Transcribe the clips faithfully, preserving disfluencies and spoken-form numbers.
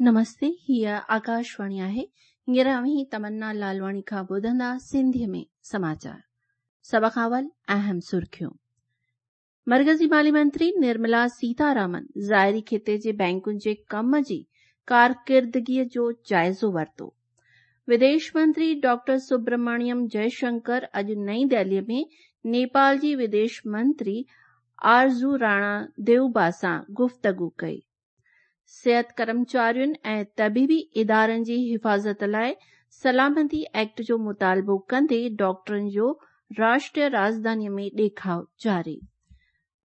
नमस्ते, हीअ आकाशवाणी आहे। हींअर अव्हीं तमन्ना लालवाणी खां ॿुधंदा सिंधीअ में समाचार। सभ खां अवल अहम सुर्खियूं। मरकज़ी माली मंत्री निर्मला सीतारामन ज़ाहिरी खिते जे बैंकुनि जे कम जी कारकिर्दगीअ जो जाइज़ो वरितो। विदेश मंत्री डॉक्टर सुब्रमण्यम जयशंकर अॼु नई दिल्लीअ में नेपाल जी विदेश मंत्री आरज़ू राणा देउबा सां गुफ़्तगू कई। सिहत कर्मचारियुनि ऐं तबीबी इदारनि जी हिफ़ाज़त लाइ सलामती एक्ट जो मुतालबो कंदे डॉक्टरनि जो राष्ट्रीय राजधानीअ में ॾेखाव जारी।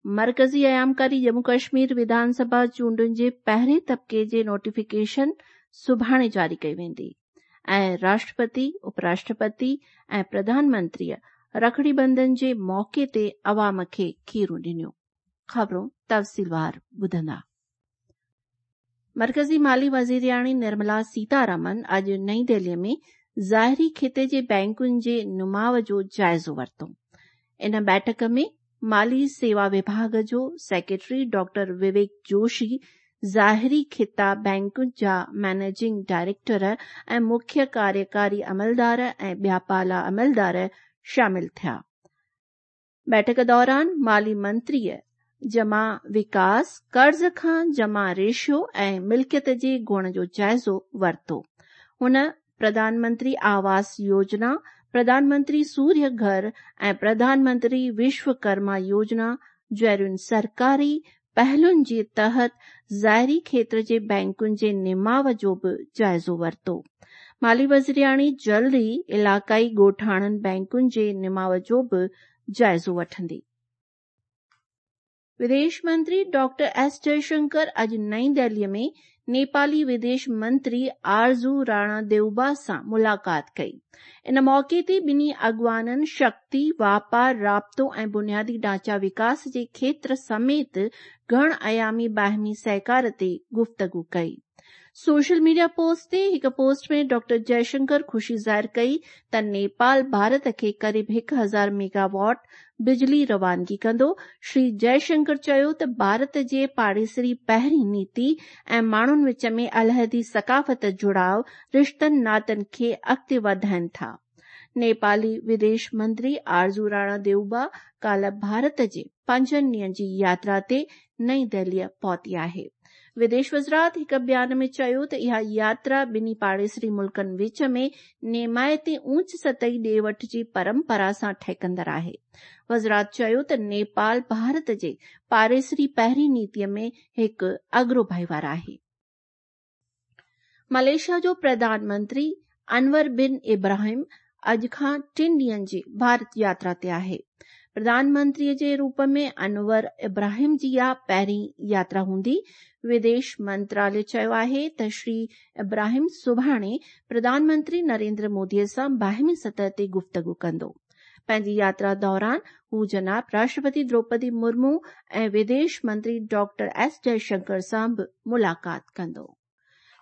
मरकज़ी अयामकारी जम्मू कश्मीर विधानसभा चूंडुनि जे पहिरें तबिके जे नोटिफिकेशन सुभाणे जारी कई वेंदी ऐं राष्ट्रपति, उपराष्ट्रपति ऐं प्रधानमंत्रीअ रखड़ी बंधन जे मौक़े ते अवाम खे खीरूं ॾिनियूं। ख़बरूं तफ़सीलवार ॿुधंदा। मरकज़ी माली वज़ीरियाणी निर्मला सीतारामन अॼु नई दिल्लीअ में ज़ाहिरी खिते जे बैंकुनि जे नुमाव जो जाइज़ो वरितो। इन बैठक में माली सेवा विभाग जो सेक्रेटरी डॉक्टर विवेक जोशी, ज़ाहिरी खिता बैंकुनि जा मैनेजिंग डायरेक्टर ऐं मुख्य कार्यकारी अमलदार ऐं ॿिया पाला अमलदार शामिल थिया। बैठक दौरान माली मंत्रीअ जमा विकास, कर्ज़ खां जमा रेशियो ऐं मिल्कियत जे गुण जो जाइज़ो वरितो। हुन प्रधानमंत्री आवास योजना, प्रधानमंत्री सूर्य घर ऐं प्रधानमंत्री विश्वकर्मा योजना जहिड़ियुनि सरकारी पहलुनि जे तहत ज़ाहिरी खेत्र जे बैंकुनि जे निमाव जो बि जाइज़ो वरितो। माली वज़ीरियाणी जल्द ई इलाइक़ाई ॻोठाणनि बैंकुनि जे निमाव जो बि जाइज़ो वठंदी। विदेश मंत्री डॉक्टर एस जयशंकर अॼु नई दिल्लीअ में नेपाली विदेश मंत्री आरज़ू राणा देउबा सां मुलाक़ात कई। इन मौक़े ते ॿिन्ही अॻवाननि शक्ति, वापार, राब्तो ऐं बुनियादी ढांचा विकास जे खेत्र समेत घण आयामी बाहिमी सहकार ते गुफ़्तगू कई। सोशल मीडिया पोस्ट ते हिकु पोस्ट में डॉक्टर जयशंकर ख़ुशी ज़ाहिर कई त नेपाल भारत खे क़रीब हिकु हज़ार मेगावाट बिजली रवानगी कंदो। श्री जयशंकर चयो त भारत जे पाड़ेसरी पहिरीं नीति ऐं माण्हुनि विच में अलहदी सकाफ़त जुड़ाव रिश्तनि नातनि खे अॻिते वधाइनि था। नेपाली विदेश मंत्री आरज़ू राणा देउबा काल्ह भारत जे पंजनि ॾींहंनि जी यात्रा ते नई दिल्लीअ पहुती आहे। विदेश वज़ारत हिकु बयान में चयो त इहा यात्रा ॿिन्ही पाड़ेसरी मुल्कनि विच में निमायती ऊंच सतही ॾे वठ जी परंपरा सां ठहिकंदड़ आहे। वज़ारत चयो त नेपाल भारत जे पाड़ेसरी पहिरीं नीतीअ में हिकु अग्रो भाईवार आहे। मलेशिया जो प्रधानमंत्री अनवर बिन इब्राहिम अॼु खां टिनि ॾींहंनि जी भारत यात्रा ते आहे। प्रधानमंत्रीअ जे रूप में अनवर इब्राहिम जी इहा पहिरीं यात्रा हूंदी। विदेश मंत्रालय चयो आहे त श्री इब्राहिम सुभाणे प्रधानमंत्री नरेंद्र मोदीअ सां बाहिमी सतह ते गुफ़्तगू कंदो। पंहिंजी यात्रा दौरान हू जनाब राष्ट्रपति द्रौपदी मुर्मू ऐं विदेश मंत्री डॉक्टर एस जयशंकर सां बि मुलाक़ात कंदो।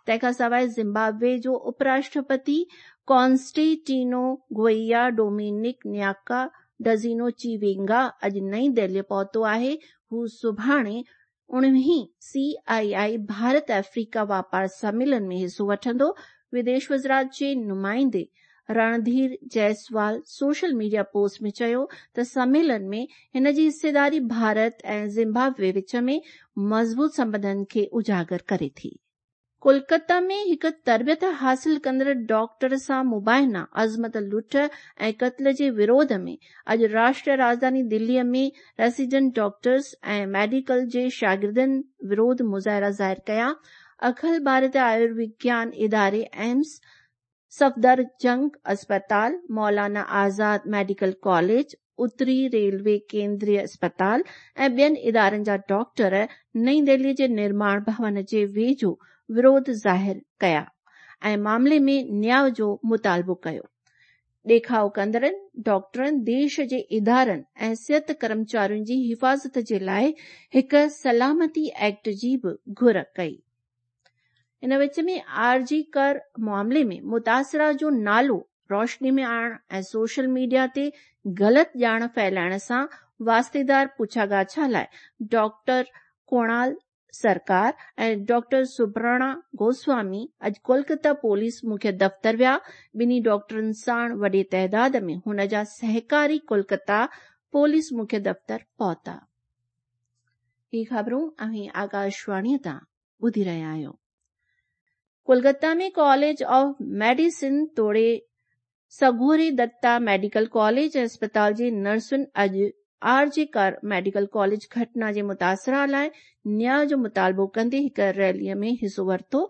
तंहिंखां सवाइ ज़िम्बाब्वे जो उपराष्ट्रपति कॉन्स्टेंटिनो गोइया डोमिनिक न्याका डज़िनो चीवेंगा अॼु नई दिल्लीअ पहुतो आहे। हू सुभाणे उणिवीहीं सी आई आई भारत अफ्रीका वापार सम्मेलन में हिसो वठंदो। विदेश वज़ारत जे नुमाइंदे Randhir Jaiswal social media post में चयो त सम्मेलन में हिन जी हिस्सेदारी भारत ऐं ज़िम्बाब्वे विच में मज़बूत संबंधनि खे उजागर करे थी। कोलकाता में हिकु तरबियत हासिल कंदड़ डॉक्टर सां मुबाइना अज़मत लुट ऐं क़त्ल जे विरोध में अॼु राष्ट्रीय राजधानी दिल्लीअ में रेसिडेंट डॉक्टर्स ऐं मेडिकल जे शागिर्दनि विरोध मुज़ाहिरा ज़ाहिर कया। अखिल भारतीय आयुर्विज्ञान इदारे एम्स, सफदरजंग अस्पताल, मौलाना आज़ाद मेडिकल कॉलेज, उत्तरी रेलवे केंद्रीय अस्पताल ऐं ॿियनि इदारनि जा डॉक्टर नई दिल्लीअ जे निर्माण भवन जे वेझो विरोध ज़ाहिर कया ऐं मामले में न्याय जो मुतालबो कयो। ॾेखाव कंदड़नि डॉक्टरनि देश जे इदारनि ऐं सिहत कर्मचारियुनि जी हिफ़ाज़त जे लाइ हिकु सलामती एक्ट जी बि घुर कई। इन विच में आरजी कर मामले में मुतासिरा जो नालो रोशनी में आणण ऐं सोशल मीडिया ते ग़लति ॼाण फैलाइण सां वास्तेदार पुछागाछा लाइ डॉक्टर कुणाल سرڪار ۽ ڊاڪٽر سبرڻا گوسوامي اڄ ڪولڪتا پوليس مکيه دفتر ويا. ٻنهي ڊاڪٽرن ساڻ وڏي تعداد ۾ هن جا سهڪاري ڪولڪتا پوليس مکيه دفتر پهتا. هي خبرون اوهين آڪاشواڻيء تان ٻڌي رهيا آهيو. ڪولڪتا ۾ ڪاليج آف ميڊيسن توڙي سگهوري دتا ميڊيڪل ڪاليج ۽ اسپتال جي نرسن اڄ آر جي ڪر ميڊيڪل ڪاليج گهٽنا جي متاثرا لاءِ نياءُ جو مطالبو ڪندي هڪ ريليءَ ۾ حصو ورتو.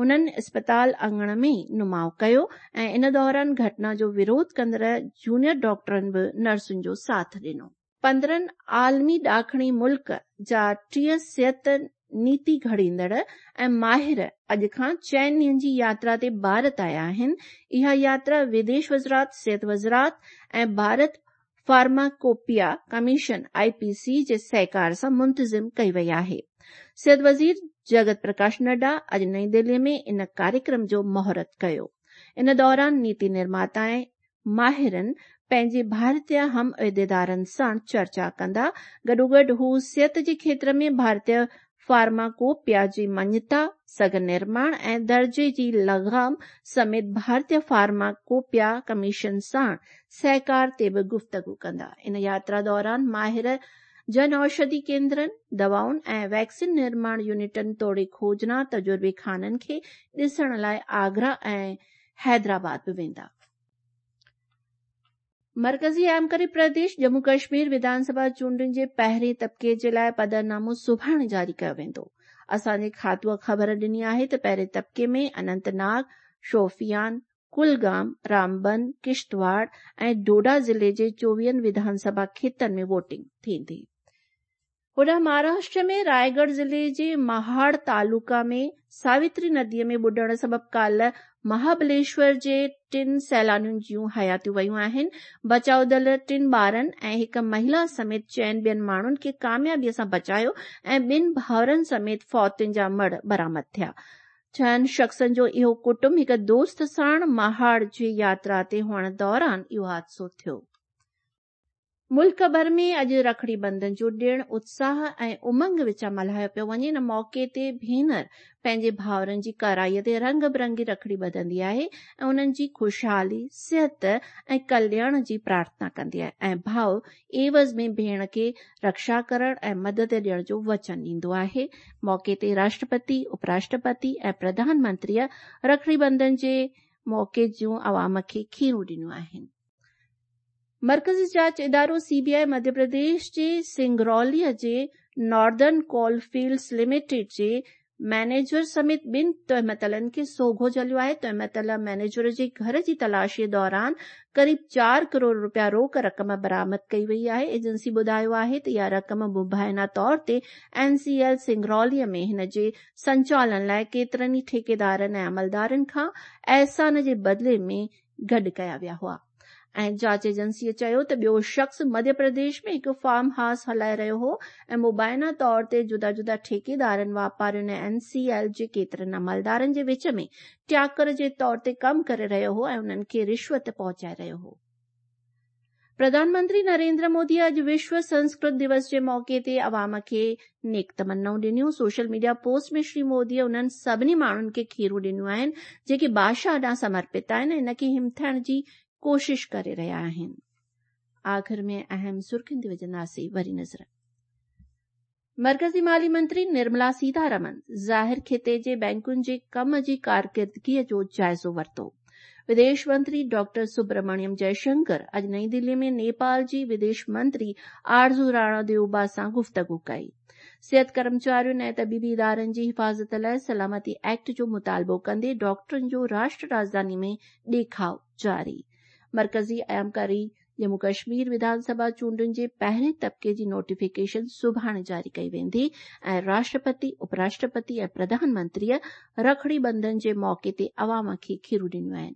هنن اسپتال اڱڻ ۾ نماءُ ڪيو ۽ ان دوران گهٽنا جو وروڌ ڪندڙ جونيئر ڊاڪٽرن به نرسن جو ساٿ ڏنو. پندرهن عالمي ڏاکڻي ملڪ جا ٽيهه صحت نيتي گهڙيندڙ ۽ ماهر اڄ کان چئن ڏينهن جي ياترا تي ڀارت آيا آهن. اها ياترا وديش وزارت، صحت وزارت ۽ Bharat pharmacopoeia commission I P C جي سهڪار سان منتظم ڪئي وئي آهي. صحت وزير جگت پرڪاش نڊا اڄ نئين دلي ۾ ان ڪاريڪرم جو مهورت ڪيو. ان دوران نيتي نرماتا ۽ ماهرن پنهنجي ڀارتيه هم عهديدارن سان چرچا ڪندا. گڏوگڏ هو صحت جي کيتر ۾ ڀارتيه فارماڪوپيا جي مڃتا، سگهه نرماڻ ۽ درجي جي لگام سميت ڀارتيه فارماڪوپيا ڪميشن سان سهڪار تي به گفتگو ڪندا. ان ياترا دوران ماهر جن اوشڌي ڪيندرن، دوائن ۽ ويڪسين نرماڻ يونٽن توڙي کوجنا تجربي خانن کي ڏسڻ لاءِ آگرا ۽ حيدرآباد به ويندا. مرڪزي ايمڪري پرديش ڄمون ڪشمير وڌان سڀا چونڊن جي پهرين طبقي جي لاءِ پڌرنامو سڀاڻي جاري ڪيو ويندو. اسان جي کاتوءَ خبر ڏني آهي ته پهرين طبقي ۾ اننت ناگ، شوفيان، ڪلگام، رامبن، ڪشتواڙ ۽ ڊوڊا ضلعي جي چوويهن وڌان سڀا کيتن ۾ ووٽنگ ٿيندي. هوڏانهن مهاراشٽر ۾ رائيڳڙهه ضلعي جي مهاڙ تعلقا ۾ ساوتري نديءَ ۾ ٻڏڻ سبب ڪالهه مهابليشور جي ٽن سيلانين جون حياتيون ويون آهن. بچاءُ دل ٽن ٻارن ۽ هڪ مهلا سميت چئن ٻين ماڻهن کي ڪاميابيءَ سان بچايو ۽ ٻن ڀائرن سميت فوتين جا مڙهه برآمد ٿيا. ڇهن شخصن جو اهو ڪٽنب هڪ دوست ساڻ مهاڙ جي ياترا تي هئڻ دوران اهو حادثو ٿيو. ملڪ ڀر ۾ اڄ رکڙي بنڌن جو ڏڻ اتساهه ۽ امنگ وچان ملهايو پيو وڃي. ان موقعي تي ڀينر پنهنجي ڀائرن جي ڪرائيءَ تي رنگ برنگي رکڙي ٻڌندي آهي ۽ انهن جي خوشحالي، صحت ۽ ڪلياڻ جي پرارٿنا ڪندي آهي ۽ ڀاءُ عيوض ۾ ڀيڻ کي رڪشا ڪرڻ ۽ مدد ڏيڻ جو وچن ڏيندو آهي. موقعي تي راشٽرپتي، اپراشٽرپتي ۽ پرڌان منتريءَ رکڙي بنڌن جي موقعي جون عوام کي کيرون ڏنيون آهن. مرڪزي جاچ ادارو سي بي I Madhya Pradesh جي سنگروليءَ جي ناردرن ڪول فيلڊز لميٽيڊ جي مئنيجر سميت ٻن تهمتلن کي سوگهو جهليو آهي. تهمتل مئنيجر جي گهر جي تلاشيءَ دوران قريب چار ڪروڙ رپيا روڪ رقم برآمد ڪئي وئي آهي. ايجنسي ٻڌايو آهي ته اها رقم مبينا طور تي اين سي ايل سنگروليءَ ۾ هن جي سنچالن لاءِ ڪيترن ئي ٺيڪيدارن ۽ عملدارن کان احسان جي بدلي ۾ گڏ ڪيا ويا هئا. ۽ جاچ ايجنسيءَ چيو ته ٻيو شخص مڌيه پرديش ۾ هڪ فارم هائوس هلائي رهيو هو ۽ مبينا طور تي جدا جدا ٺيڪيدارن، واپارين ۽ اين سي ايل جي ڪيترن عملدارن جي وچ ۾ ٽياڪر جي طور تي ڪم ڪري رهيو هو ۽ انهن کي رشوت پهچائي رهيو هو. پرڌان منتري نريندر مودي اڄ وشو سنسڪرت دوس جي موقعي تي عوام کي نيڪ تمنائون ڏنيون. سوشل ميڊيا پوسٽ ۾ شري موديءَ انهن سڀني ماڻهن کي کيرون ڏنيون آهن جيڪي ڀاشا ڏانهن سمرپت آهن ۽ ان کي همٿائڻ جي ڪوشش ڪري رهيا آهن. آخر ۾ اهم سرخين تي وجهنداسين وري نظر. مرڪزي مالي منتري نرملا سيتارمن ظاهر خطي جي بينڪن جي ڪم جي ڪارڪردگيءَ جو جائزو ورتو. وديش منتري ڊاڪٽر سبرمڻيم جئشنڪر اڄ نئين دلي ۾ نيپال جي وديش منتري آرزو راڻا ديوبا سان گفتگو ڪئي. صحت ڪرمچارين ۽ طبيبي ادارن جي حفاظت لاءِ سلامتي ايڪٽ جو مطالبو ڪندي ڊاڪٽرن جو راشٽر راڄڌاني ۾ ڏيکاءُ جاري. مرڪزي ايمڪاري ڄمون ڪشمير وڌان سڀا چونڊن جي پهرين طبقي جي نوٽيفڪيشن سڀاڻي جاري ڪئي ويندي ۽ راشٽرپتي، اپراشٽرپتي ۽ پرڌان منتريءَ رکڙي بنڌن جي موقعي تي عوام کي کيرون ڏنيون آهن.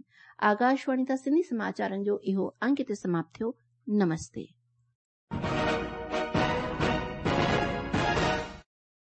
آڪاشواڻي تان سنڌي سماچارن جو اهو انگ هتي سماپت ٿيو. نمستي.